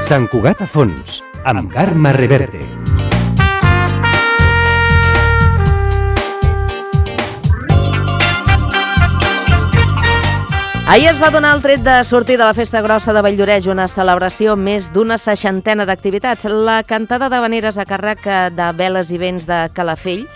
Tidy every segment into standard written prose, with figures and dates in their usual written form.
Sant Cugat a fons, amb Carme Reverte. Ahir es va donar el tret de sortir de la Festa Grossa de Valldoreix, una celebració més d'una 60ena d'activitats. La cantada d'havaneres a càrrec de veles i vents de Calafell,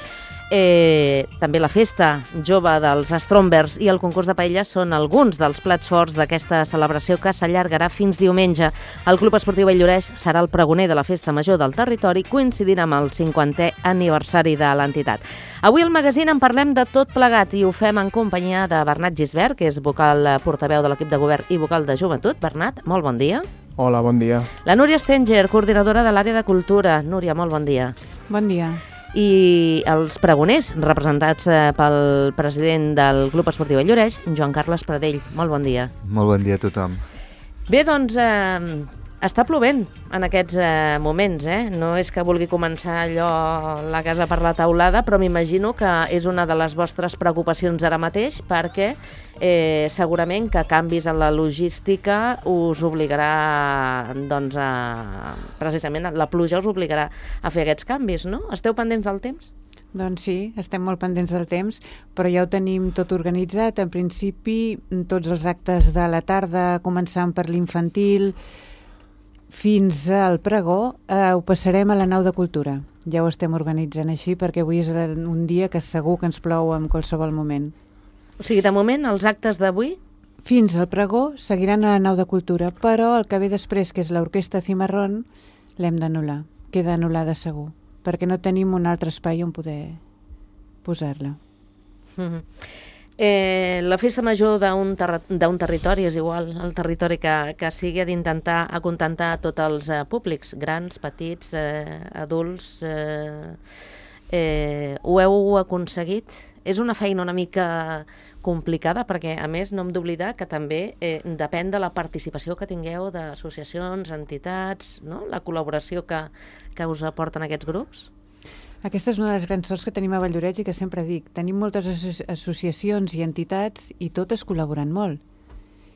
també la festa jove dels Strombers i el concurs de paelles són alguns dels plats forts d'aquesta celebració que s'allargarà fins diumenge. El Club Esportiu Valldoreix serà el pregoner de la festa major del territori, coincidint amb el 50è aniversari de l'entitat. Avui al magazín en parlem de tot plegat i ho fem en companyia de Bernat Gisbert, que és vocal portaveu de l'equip de govern i vocal de joventut. Bernat, molt bon dia. Hola, bon dia. La Núria Stenger, coordinadora de l'àrea de cultura. Núria, molt bon dia. Bon dia. I els pregoners, representats pel president del Club Esportiu Valldoreix, Joan Carles Pradell. Molt bon dia. Molt bon dia a tothom. Bé, doncs, està plovent en aquests moments, No és que vulgui començar allò la casa per la teulada, però m'imagino que és una de les vostres preocupacions ara mateix, perquè segurament que canvis en la logística us obligarà, doncs, precisament la pluja us obligarà a fer aquests canvis, no? Esteu pendents del temps? Doncs sí, estem molt pendents del temps, però ja ho tenim tot organitzat. En principi, tots els actes de la tarda, començant per l'infantil fins al pregó, ho passarem a la nau de cultura. Ja ho estem organitzant així, perquè avui és un dia que segur que ens plou en qualsevol moment. O sigui, de moment, els actes d'avui? Fins al pregó seguiran a la nau de cultura, però el que ve després, que és l'orquestra Cimarrón, l'hem d'anul·lar. Queda anul·lada segur, perquè no tenim un altre espai on poder posar-la. La festa major d'un territori és igual, el territori que sigui, ha d'intentar acontentar tots els públics, grans, petits, adults. Ho heu aconseguit? És una feina una mica complicada perquè, a més, no hem d'oblidar que també depèn de la participació que tingueu d'associacions, entitats, no? La col·laboració que us aporten aquests grups. Aquesta és una de les grans sorts que tenim a Valldoreix i que sempre dic. Tenim moltes associacions i entitats i totes col·laboren molt.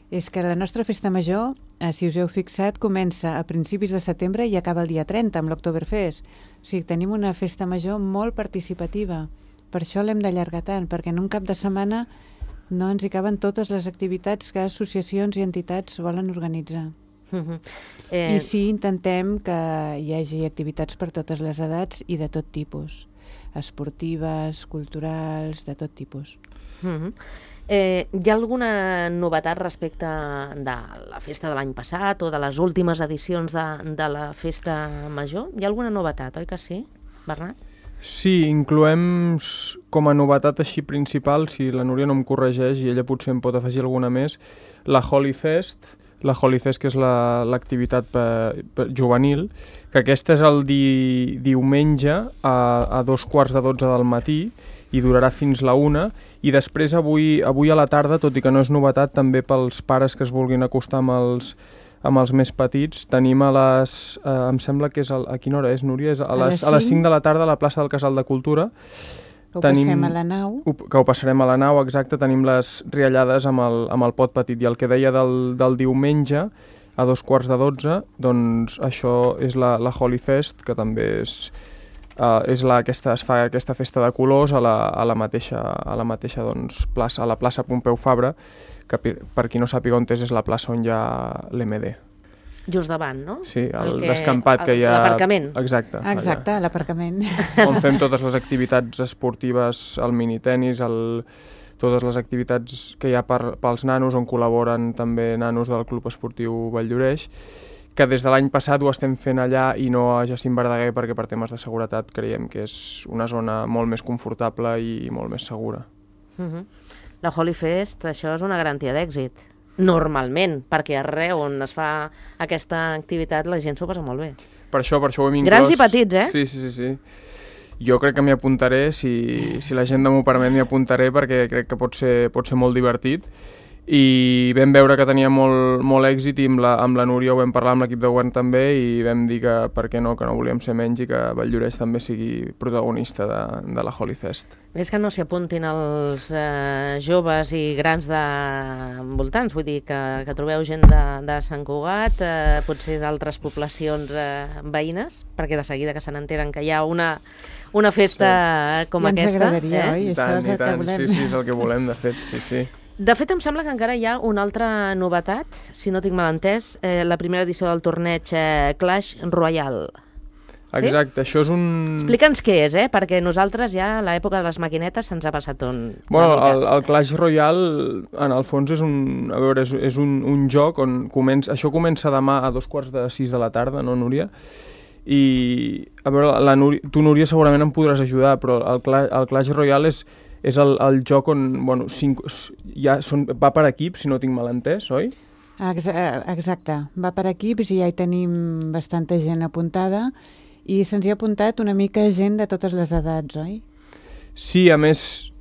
És que la nostra festa major, si us heu fixat, comença a principis de setembre i acaba el dia 30 amb l'Oktoberfest. O sigui, tenim una festa major molt participativa. Per això l'hem d'allargar tant, perquè en un cap de setmana no ens hi caben totes les activitats que associacions i entitats volen organitzar. I sí, intentem que hi hagi activitats per totes les edats i de tot tipus, esportives, culturals, de tot tipus. Hi ha alguna novetat respecte de la festa de l'any passat o de les últimes edicions de la festa major? Hi ha alguna novetat, oi que sí, Bernat? Sí, incloem com a novetat així principal, si la Núria no em corregeix i ella potser em pot afegir alguna més, la Holy Fest, que és l'activitat juvenil, que aquesta és el diumenge a 2:15 del matí i durarà fins la 1, i després avui a la tarda, tot i que no és novetat, també pels pares que es vulguin acostar amb els més petits, tenim a les... em sembla que és... A quina hora és, Núria? És a les 5 de la tarda a la plaça del Casal de Cultura. Passem a la nau. Que ho passarem a la nau, exacte. Tenim les riallades amb el pot petit. I el que deia del diumenge, a 2:15, doncs això és la Holy Fest, que també es fa aquesta festa de colors a la mateixa doncs, plaça, a la plaça Pompeu Fabra, que per qui no sàpiga on és la plaça on hi ha l'MD. Just davant, no? Sí, el descampat que hi ha... L'aparcament. Exacte, l'aparcament. On fem totes les activitats esportives, el minitenis, totes les activitats que hi ha pels nanos, on col·laboren també nanos del Club Esportiu Valldoreix, que des de l'any passat ho estem fent allà i no a Jacint Verdaguer, perquè per temes de seguretat creiem que és una zona molt més confortable i molt més segura. La Holy Fest, això és una garantia d'èxit, normalment, perquè arreu on es fa aquesta activitat la gent s'ho passa molt bé. Per això ho hem inclòs. Grans i petits, Sí. Jo crec que m'hi apuntaré, si la gent m'ho permet m'hi apuntaré, perquè crec que pot ser molt divertit. i vam veure que tenia molt èxit i amb la Núria ho vam parlar amb l'equip de govern també i vam dir que per què no, que no volíem ser menys i que Valldoreix també sigui protagonista de la Holy Fest. Ves que no s'hi apuntin els joves i grans de voltants, vull dir que trobeu gent de Sant Cugat, potser d'altres poblacions veïnes, perquè de seguida que se n'enteren que hi ha una festa com aquesta. Ja ens agradaria, oi? Això és el que volem. Sí, és el que volem, de fet, sí. De fet, em sembla que encara hi ha una altra novetat, si no tinc mal entès, la primera edició del torneig Clash Royale. Sí? Exacte, això és un... Explica'ns què és, perquè nosaltres ja a l'època de les maquinetes se'ns ha passat una mica. El Clash Royale, en el fons, és un joc on això comença demà a 5:45 de la tarda, no, Núria? I, a veure, tu, Núria, segurament em podràs ajudar, però el Clash Royale és el joc on, bueno, va per equips, si no tinc mal entès, oi? Exacte, va per equips i ja hi tenim bastanta gent apuntada i se'ns hi ha apuntat una mica gent de totes les edats, oi? Sí, a més,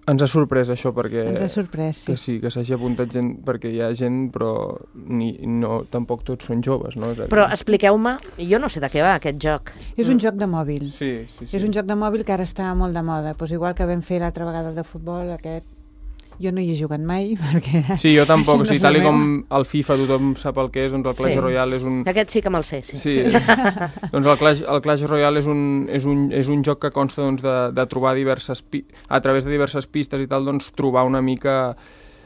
ens ha sorprès això, perquè... Ens ha sorprès, sí. Que sí, que s'hagi apuntat gent, perquè hi ha gent, però tampoc tots són joves, no? Però expliqueu-me, jo no sé de què va aquest joc. És un joc de mòbil. Sí. És un joc de mòbil que ara està molt de moda. Pues igual que vam fer l'altra vegada el de futbol, aquest... Jo no hi he jugat mai, perquè... Sí, jo tampoc, sí, tal com el FIFA tothom sap el que és, doncs el Clash Royale és un... Aquest sí que me'l sé, sí. Doncs el Clash Royale és un joc que consta de trobar a través de diverses pistes i tal, doncs trobar una mica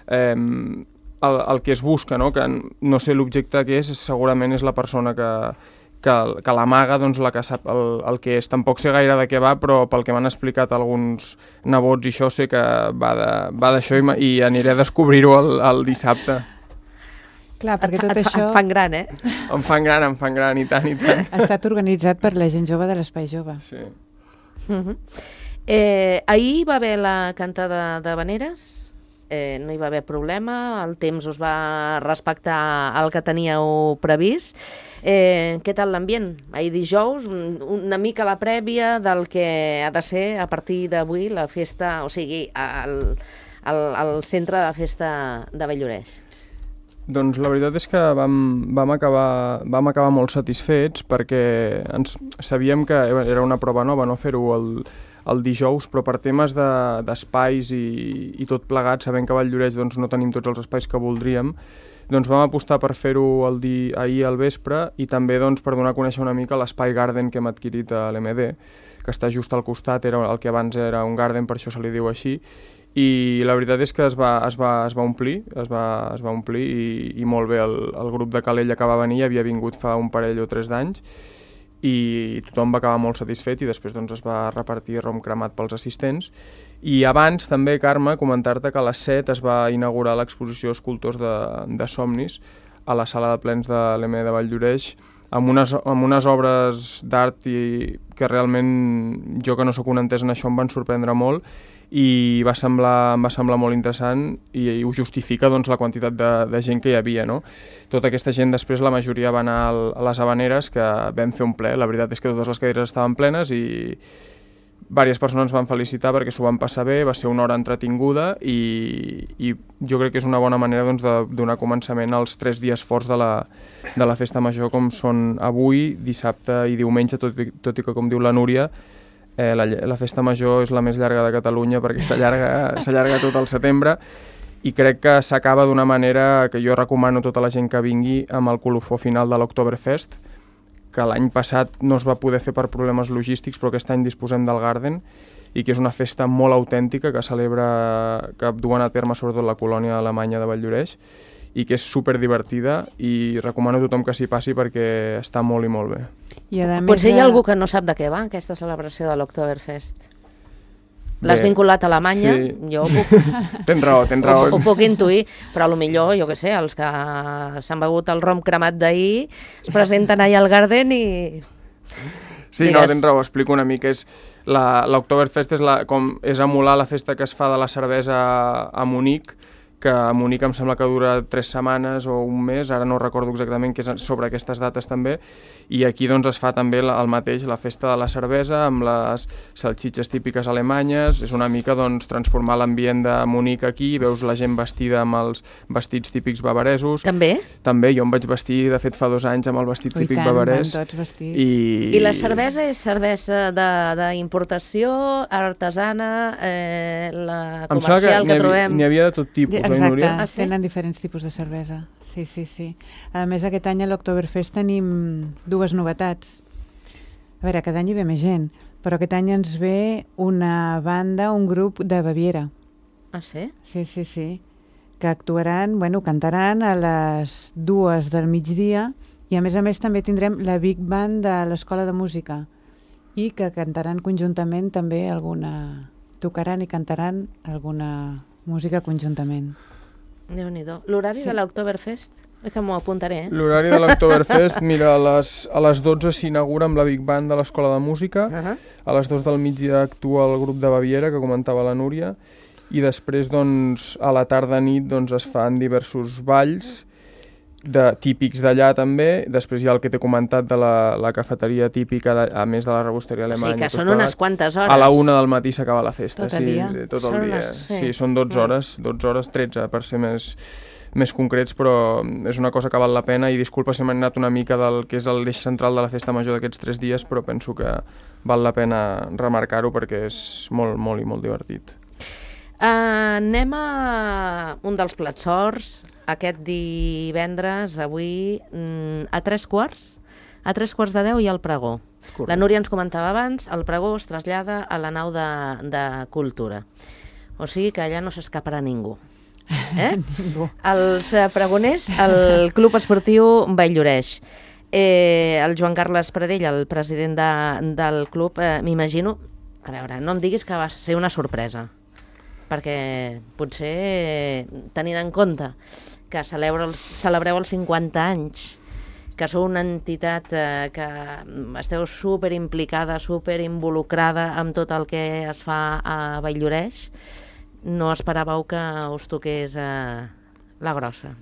el que es busca, no? Que no sé l'objecte que és, segurament és la persona que l'amaga, doncs la que sap el que és. Tampoc sé gaire de què va, però pel que m'han explicat alguns nebots i això sé que va d'això i aniré a descobrir-ho el dissabte. Clar, perquè tot això... Et fan gran, Em fan gran, i tant. Ha estat organitzat per la gent jove de l'Espai Jove. Sí. Ahir va haver la cantada de Veneres, no hi va haver problema, el temps us va respectar el que teníeu previst. Què tal l'ambient? Ahir dijous, una mica la prèvia del que ha de ser a partir d'avui la festa, o sigui, al centre de la festa de Valldoreix. Doncs la veritat és que vam acabar molt satisfets perquè sabíem que era una prova nova, no fer-ho el dijous, però per temes d'espais i tot plegat, sabent que a Valldoreix doncs, no tenim tots els espais que voldríem, doncs vam apostar per fer-ho ahir al vespre i també doncs, per donar a conèixer una mica l'espai Garden que hem adquirit a l'MD, que està just al costat, era el que abans era un Garden, per això se li diu així, i la veritat és que es va omplir i molt bé. El grup de Calella que va venir havia vingut fa un parell o 3 d'anys i tothom va acabar molt satisfet i després doncs, es va repartir rom cremat pels assistents. I abans també, Carme, comentar-te que a les 7 es va inaugurar l'exposició Escultors de Somnis a la sala de plens de l'EME de Valldoreix amb unes obres d'art que realment jo que no sóc un entès en això em van sorprendre molt i em va semblar molt interessant i ho justifica doncs, la quantitat de gent que hi havia. No? Tota aquesta gent després la majoria va anar a les Havaneres, que vam fer un ple. La veritat és que totes les cadires estaven plenes i diverses persones ens van felicitar perquè s'ho van passar bé, va ser una hora entretinguda i jo crec que és una bona manera doncs, de donar començament als 3 dies forts de la festa major com són avui, dissabte i diumenge, tot i que com diu la Núria la festa major és la més llarga de Catalunya perquè s'allarga tot el setembre i crec que s'acaba d'una manera que jo recomano a tota la gent que vingui amb el colofó final de l'Oktoberfest, que l'any passat no es va poder fer per problemes logístics, però aquest any disposem del Garden i que és una festa molt autèntica que duen a terme sobretot la colònia alemanya de Valldoreix i que és superdivertida i recomano a tothom que s'hi passi perquè està molt i molt bé. Potser hi ha algú que no sap de què va aquesta celebració de l'Oktoberfest. L'has vinculat a Alemanya? Sí. Jo ho puc... Tens raó. Ho puc intuir, però potser, jo què sé, els que s'han begut el rom cremat d'ahir es presenten allà al Garden i... Sí, no, tens raó, explico una mica. L'Oktoberfest és emular la festa que es fa de la cervesa a Munic, que a Munic em sembla que dura 3 setmanes o un mes, ara no recordo exactament, que és sobre aquestes dates també, i aquí doncs es fa també el mateix, la festa de la cervesa amb les salxitxes típiques alemanyes, és una mica doncs transformar l'ambient de Munic aquí, veus la gent vestida amb els vestits típics bavaresos. També? També, jo em vaig vestir, de fet fa 2 anys, amb el vestit típic bavarès. Van tots vestits. I la cervesa és cervesa d'importació, artesana, la comercial que trobem? N'hi havia de tot tipus. Exacte, sí? Tenen diferents tipus de cervesa. Sí. A més, aquest any a l'Oktoberfest tenim 2 novetats. A veure, cada any hi ve més gent, però aquest any ens ve una banda, un grup de Baviera. Ah, sí? Sí. Que actuaran, cantaran a les 2 del migdia i a més també tindrem la Big Band de l'Escola de Música i que cantaran conjuntament també tocaran i cantaran alguna música conjuntament. Déu-n'hi-do. L'horari de l'Oktoberfest? És que m'ho apuntaré, L'horari de l'Oktoberfest, mira, a les 12 s'inaugura amb la Big Band de l'Escola de Música, a les 2 del migdia actua el grup de Baviera, que comentava la Núria, i després, doncs, a la tarda-nit doncs, es fan diversos balls típics d'allà també, després hi ha el que t'he comentat de la cafeteria típica, a més de la rebosteria alemanya. O sigui que són unes quantes hores. A la 1 del matí s'acaba la festa. Tot el dia? Tot el dia. Sí, són 12 hores, 13 per ser més concrets, però és una cosa que val la pena i disculpa si m'he anat una mica del que és l'eix central de la festa major d'aquests 3 dies, però penso que val la pena remarcar-ho perquè és molt, molt i molt divertit. Anem a un dels plats forts, aquest divendres, avui, a 3:15, a 3:15 hi ha el pregó. Correcte. La Núria ens comentava abans, el pregó es trasllada a la nau de Cultura. O sigui que allà no s'escaparà ningú. Ningú. Els pregoners, el Club Esportiu Valldoreix. El Joan Carles Pradell, el president del club, m'imagino, a veure, no em diguis que va ser una sorpresa, perquè potser tenint en compte que celebreu els 50 anys, que sou una entitat que esteu superimplicada, superinvolucrada amb tot el que es fa a Valldoreix, no esperàveu que us toqués la grossa?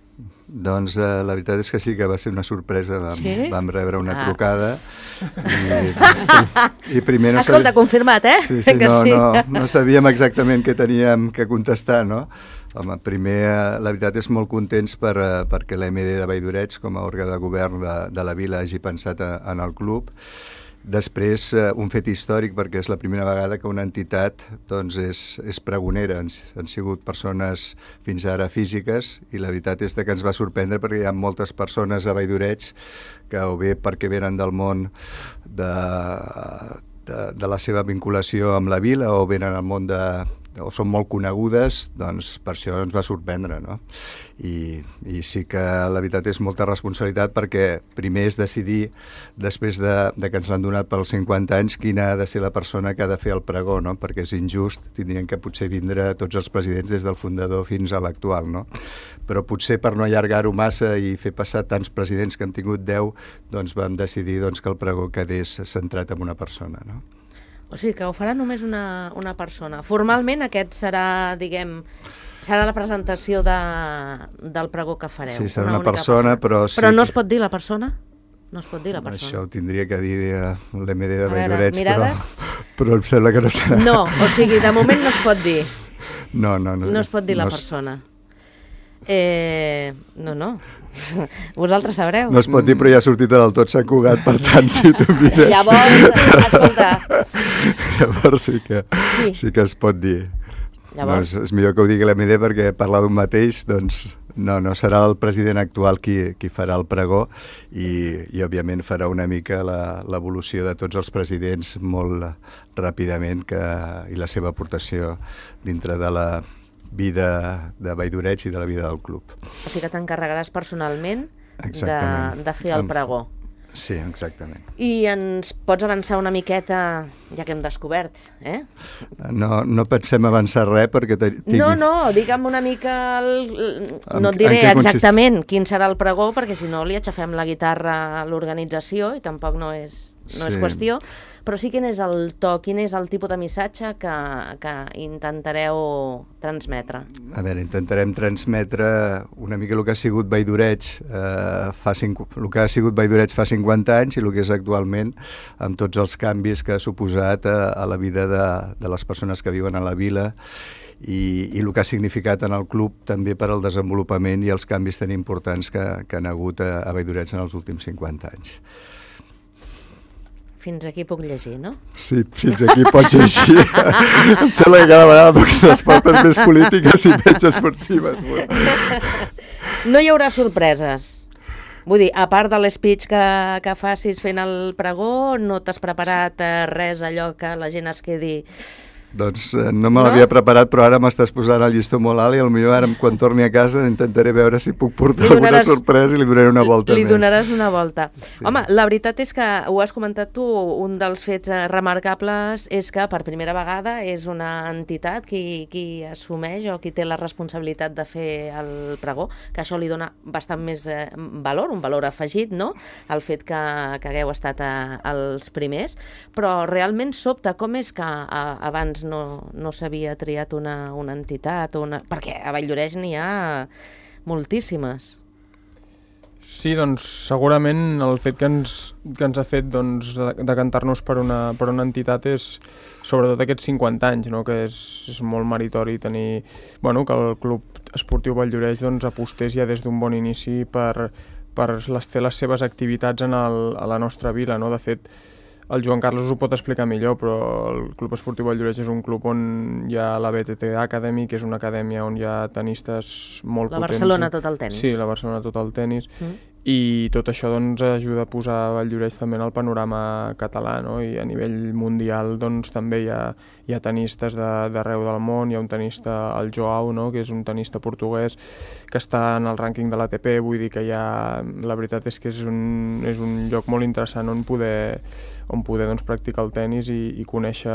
Doncs la veritat és que sí que va ser una sorpresa. Vam rebre una trucada i primer no Escolta, confirmat, Sí, no sabíem exactament què teníem que contestar, no? Home, primer, la veritat és molt contents perquè l'EMD de Valldoreix, com a òrgan de govern de la vila, hagi pensat en el club. Després, un fet històric, perquè és la primera vegada que una entitat doncs, és pregonera. Han sigut persones fins ara físiques i la veritat és que ens va sorprendre perquè hi ha moltes persones a Valldoreix que o bé perquè venen del món de la seva vinculació amb la vila o venen al món o són molt conegudes, doncs per això ens va sorprendre, no? I sí que la veritat és molta responsabilitat perquè primer és decidir, després de que ens l'han donat pels 50 anys, quina ha de ser la persona que ha de fer el pregó, no? Perquè és injust, tindrien que potser vindre tots els presidents des del fundador fins a l'actual, no? Però potser per no allargar-ho massa i fer passar tants presidents que han tingut 10, doncs vam decidir que el pregó quedés centrat en una persona, no? O sigui que ho farà només una persona. Formalment aquest serà, serà la presentació del pregó que fareu. Sí, serà una persona, però sí. Però no es pot dir la persona? No es pot dir la persona. Això ho tindria que dir l'EMD de Valldoreix, però em sembla que no serà. No, o sigui, de moment no es pot dir. No. No es pot dir la persona. No. Vosaltres sabreu. No es pot dir, però ja ha sortit del tot Sant Cugat, per tant, si tu mires... Llavors, escolta... Llavors sí que es pot dir. Llavors... Doncs és millor que ho digui l'EMD perquè parlar d'un mateix, doncs no serà el president actual qui farà el pregó i òbviament farà una mica l'evolució de tots els presidents molt ràpidament i la seva aportació dintre de la vida de Valldoreix i de la vida del club. O sigui que t'encarregaràs personalment de fer el pregó. Sí, exactament. I ens pots avançar una miqueta, ja que hem descobert, No pensem avançar res perquè... No, digue'm una mica... No et diré exactament quin serà el pregó, perquè si no li aixafem la guitarra a l'organització i tampoc no és qüestió, Però sí, quin és el to, quin és el tipus de missatge que intentareu transmetre? A veure, intentarem transmetre una mica el que ha sigut Valldoreig el que ha sigut Valldoreig fa 50 anys i el que és actualment, amb tots els canvis que ha suposat a la vida de les persones que viuen a la vila i el que ha significat en el club també per al desenvolupament i els canvis tan importants que han hagut a Valldoreig en els últims 50 anys. Fins aquí puc llegir, no? Sí, fins aquí pots llegir. Em sembla que cada vegada poc respostes més polítiques i menys esportives. No hi haurà sorpreses. Vull dir, a part de l'espeech que facis fent el pregó, no t'has preparat res allò que la gent es quedi... Doncs no me l'havia preparat, però ara m'estàs posant el llistó molt alt i potser ara, quan torni a casa, intentaré veure si puc portar alguna sorpresa i li donaré una volta més. Li donaràs una volta. Sí. Home, la veritat és que, ho has comentat tu, un dels fets remarcables és que per primera vegada és una entitat qui assumeix o qui té la responsabilitat de fer el pregó, que això li dona bastant més valor, un valor afegit, no?, el fet que hagueu estat els primers, però realment sobta com és que abans no s'havia triat una entitat, perquè a Valldoreig n'hi ha moltíssimes. Sí, doncs segurament el fet que ens ha fet decantar-nos per una entitat és sobretot aquests 50 anys, no? Que és molt meritori tenir, que el Club Esportiu Valldoreig apostés ja des d'un bon inici per fer les seves activitats a la nostra vila, no? De fet, el Joan Carlos ho pot explicar millor, però el Club Esportiu Valldoreig és un club on hi ha la BTT Academy, que és una acadèmia on hi ha tenistes molt potents. La Barcelona Total Tenis. Sí, la Barcelona Total Tenis. I tot això ajuda a posar Valldoreig també en el panorama català, no? I a nivell mundial també hi ha tenistes d'arreu del món. Hi ha un tenista, el Joao, no? Que és un tenista portuguès que està en el rànquing de l'ATP. Vull dir que la veritat és que és un lloc molt interessant on poder practicar el tenis i conèixer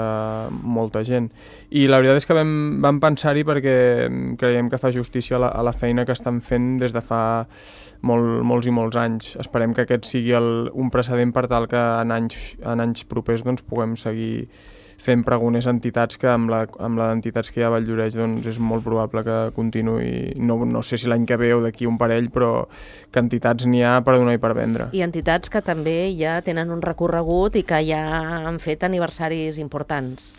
molta gent. I la veritat és que vam pensar-hi perquè creiem que fa justícia a la feina que estan fent des de fa molts i molts anys. Esperem que aquest sigui un precedent per tal que en anys propers puguem seguir fent pregoners a entitats que amb les entitats que hi ha a Valldoreig és molt probable que continuï, no sé si l'any que ve o d'aquí un parell, però que entitats n'hi ha per donar i per vendre. I entitats que també ja tenen un recorregut i que ja han fet aniversaris importants.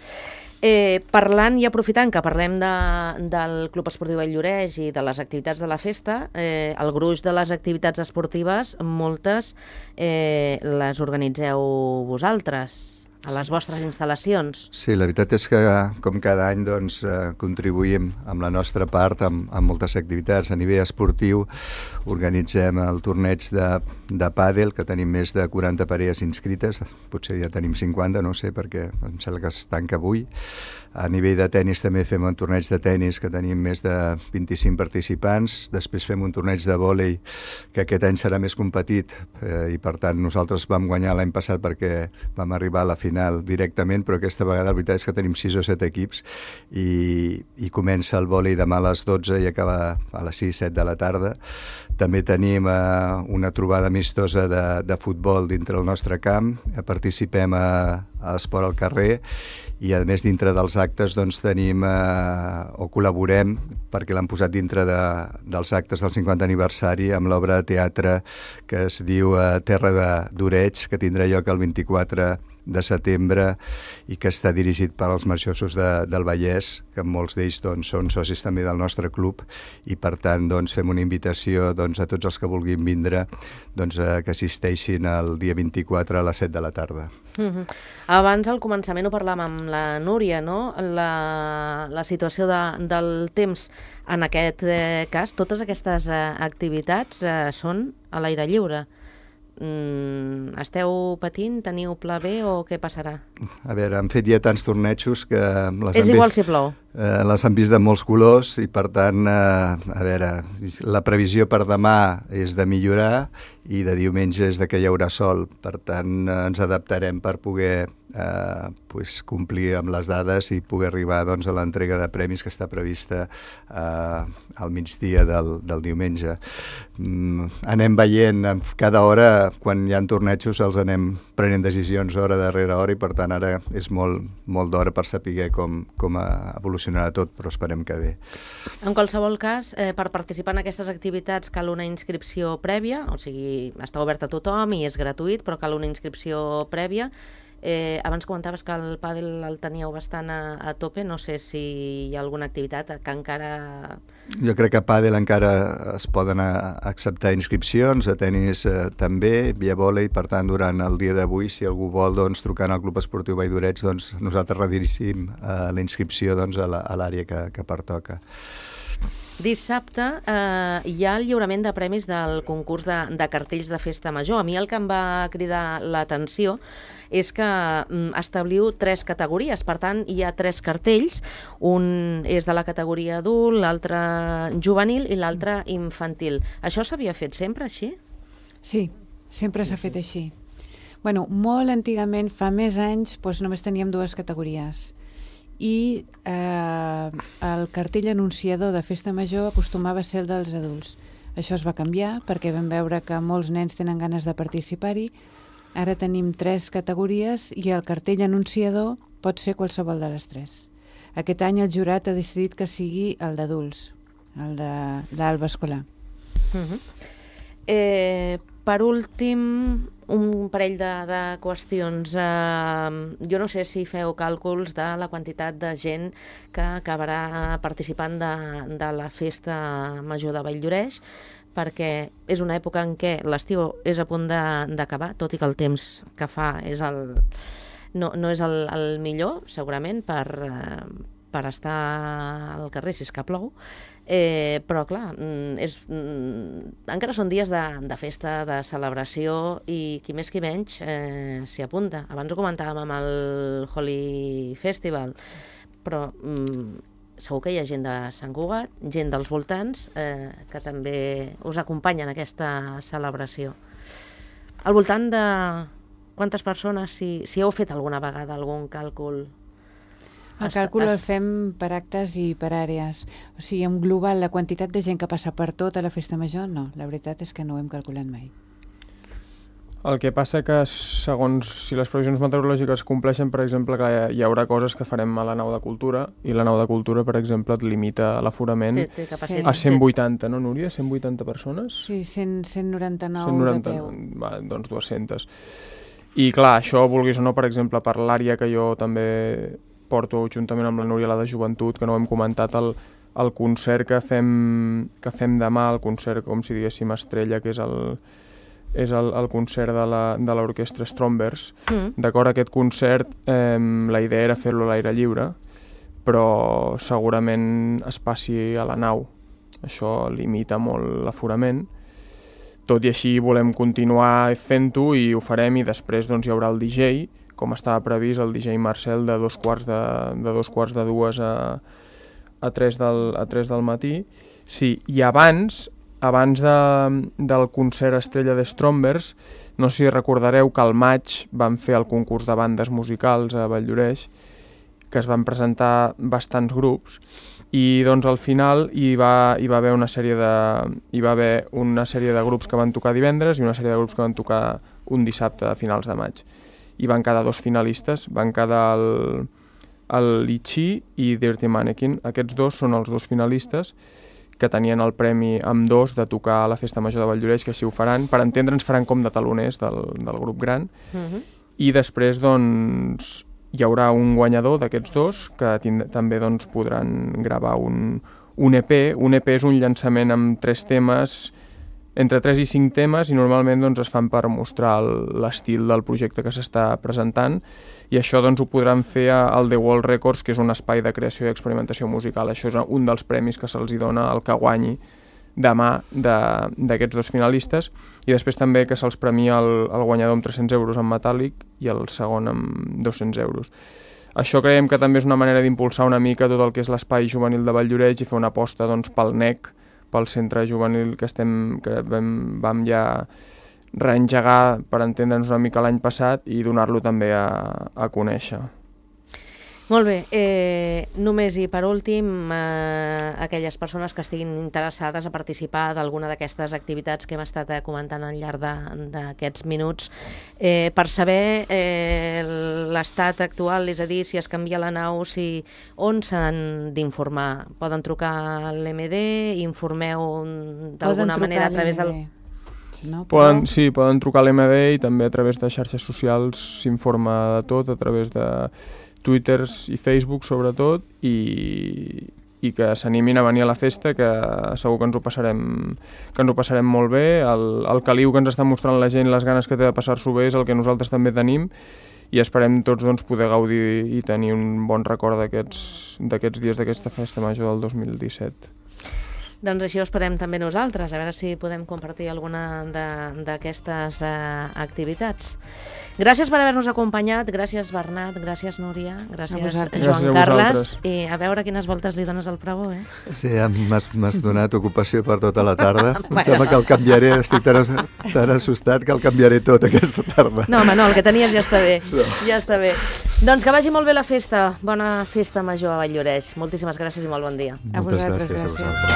Parlant i aprofitant que parlem del Club Esportiu Valldoreig i de les activitats de la festa, el gruix de les activitats esportives, moltes les organitzeu vosaltres a les vostres instal·lacions. Sí, la veritat és que com cada any contribuïm amb la nostra part amb moltes activitats. A nivell esportiu organitzem el torneig de pàdel, que tenim més de 40 parelles inscrites, potser ja tenim 50, no sé, perquè em sembla que es tanca avui. A nivell de tennis també fem un torneig de tennis que tenim més de 25 participants. Després fem un torneig de vòlei que aquest any serà més competit i per tant nosaltres vam guanyar l'any passat perquè vam arribar a la final directament, però aquesta vegada la veritat és que tenim 6 o 7 equips i comença el vòlei demà a les 12 i acaba a les 6-7 de la tarda. També tenim una trobada amistosa de futbol dintre el nostre camp, participem a Esport al carrer i a més dintre dels actes tenim o col·laborem perquè l'han posat dintre dels actes del 50 aniversari amb l'obra de teatre que es diu Terra d'Oreig, que tindrà lloc el 24 de setembre i que està dirigit per als marxosos del Vallès, que molts d'ells són socis també del nostre club i per tant fem una invitació a tots els que vulguin vindre que assisteixin el dia 24 a les 7 de la tarda. Abans al començament ho parlàvem amb la Núria, no? La situació del temps en aquest cas, totes aquestes activitats són a l'aire lliure. Esteu patint? Teniu pla B o què passarà? A veure, han fet ja tants tornejos que... És igual si plou. Les han vist de molts colors i per tant, a veure, la previsió per demà és de millorar i de diumenge és de que hi haurà sol. Per tant, ens adaptarem per poder complir amb les dades i poder arribar doncs, a l'entrega de premis que està prevista al migdia del diumenge. Anem veient cada hora, quan hi ha tornejos, els anem prenent decisions hora darrere hora i per tant ara és molt d'hora per saber com evolucionarà tot, però esperem que bé. En qualsevol cas, per participar en aquestes activitats cal una inscripció prèvia, o sigui, està obert a tothom i és gratuït, però cal una inscripció prèvia. Abans comentaves que el pàdel el teníeu bastant a tope, no sé si hi ha alguna activitat que encara... Jo crec que a pàdel encara es poden acceptar inscripcions, a tenis també, i a vòlei, per tant, durant el dia d'avui, si algú vol, doncs, trucant al Club Esportiu Vall d'Oreig, doncs, nosaltres redirigim la inscripció doncs, a l'àrea que pertoca. Dissabte hi ha el lliurament de premis del concurs de cartells de Festa Major. A mi el que em va cridar l'atenció és que establiu 3 categories, per tant hi ha 3 cartells, un és de la categoria adult, l'altre juvenil i l'altre infantil. Això s'havia fet sempre així? Sí, sempre s'ha fet així. Bueno, molt antigament, fa més anys, doncs només teníem 2 categories. I el cartell anunciador de Festa Major acostumava a ser el dels adults. Això es va canviar perquè vam veure que molts nens tenen ganes de participar-hi. Ara tenim 3 categories i el cartell anunciador pot ser qualsevol de les 3. Aquest any el jurat ha decidit que sigui el d'adults, el de l'Alba Escolar. Per últim, un parell de qüestions. Jo no sé si feu càlculs de la quantitat de gent que acabarà participant de la Festa Major de Vall d'Oreig, perquè és una època en què l'estiu és a punt d'acabar, tot i que el temps que fa no és el millor, segurament, per estar al carrer si és que plou. Però clar, encara són dies de festa, de celebració, i qui més qui menys s'hi apunta. Abans ho comentàvem amb el Holi Festival, però segur que hi ha gent de Sant Cugat, gent dels voltants, que també us acompanyen en aquesta celebració. Al voltant de quantes persones, si heu fet alguna vegada algun càlcul? El càlcul el fem per actes i per àrees. O sigui, en global, la quantitat de gent que passa per tota la Festa Major, no. La veritat és que no ho hem calculat mai. El que passa que, segons si les previsions meteorològiques compleixen, per exemple, que hi haurà coses que farem a la nau de cultura, i la nau de cultura, per exemple, et limita l'aforament a 180, no, Núria? 180 persones? Sí, 199 de peu. Va, doncs 200. I clar, això, vulguis o no, per exemple, per l'àrea que jo també porto juntament amb la Núria, la de joventut, que no ho hem comentat, el concert que fem demà, el concert, com si diguéssim, estrella, que és el concert de l'orquestra Strombers. D'acord, aquest concert, la idea era fer-lo a l'aire lliure, però segurament es passi a la nau. Això limita molt l'aforament. Tot i així volem continuar fent-ho i ho farem, i després doncs, hi haurà el DJ, com estava previst, el DJ Marcel, de 2:45 a 3 del matí. Sí, i abans del concert estrella de Strombers, no sé si recordareu que al maig vam fer el concurs de bandes musicals a Vall d'Oreig, que es van presentar bastants grups, i doncs al final hi va haver una sèrie de grups que van tocar divendres i una sèrie de grups que van tocar un dissabte a finals de maig. I van quedar 2 finalistes, van quedar el Litchi i Dirty Mannequin. Aquests 2 són els 2 finalistes que tenien el premi amb 2 de tocar a la Festa Major de Vall d'Oreig, que així ho faran. Per entendre'ns, faran com de taloners del grup gran. I després doncs, hi haurà un guanyador d'aquests 2 que també doncs, podran gravar un EP. Un EP és un llançament amb 3 temes, entre 3 i 5 temes, i normalment doncs, es fan per mostrar l'estil del projecte que s'està presentant, i això doncs, ho podran fer al The World Records, que és un espai de creació i experimentació musical. Això és un dels premis que se'ls dona al que guanyi demà d'aquests 2 finalistes, i després també que se'ls premia el guanyador amb 300 euros en metàl·lic i el segon amb 200 euros. Això creiem que també és una manera d'impulsar una mica tot el que és l'espai juvenil de Vall d'Oreig i fer una aposta doncs, pel NEC, pel centre juvenil que vam ja reengegar, per entendre'ns una mica, l'any passat i donar-lo també a conèixer. Molt bé, només i per últim, aquelles persones que estiguin interessades a participar d'alguna d'aquestes activitats que hem estat comentant al llarg d'aquests minuts, per saber l'estat actual, és a dir, si es canvia la nau, on s'han d'informar? Poden trucar a l'MD, informeu d'alguna manera a través del... No, poden trucar a l'MD i també a través de xarxes socials s'informa de tot, a través de Twitter i Facebook sobretot, i que s'animin a venir a la festa, que segur que ens ho passarem molt bé. El caliu que ens està mostrant la gent, les ganes que té de passar-s'ho bé, és el que nosaltres també tenim, i esperem tots poder gaudir i tenir un bon record d'aquests dies d'aquesta festa major del 2017. Doncs així ho esperem també nosaltres, a veure si podem compartir alguna d'aquestes activitats. Gràcies per haver-nos acompanyat, gràcies Bernat, gràcies Núria, gràcies Joan Carles, i a veure quines voltes li dones al pregó, Sí, m'has donat ocupació per tota la tarda. Em sembla que el canviaré, estic tan assustat que el canviaré tot aquesta tarda. No, home, no, el que tenies ja està bé, ja està bé. Doncs que vagi molt bé la festa, bona festa major a Valldoreix. Moltíssimes gràcies i molt bon dia. Moltes gràcies a vosaltres.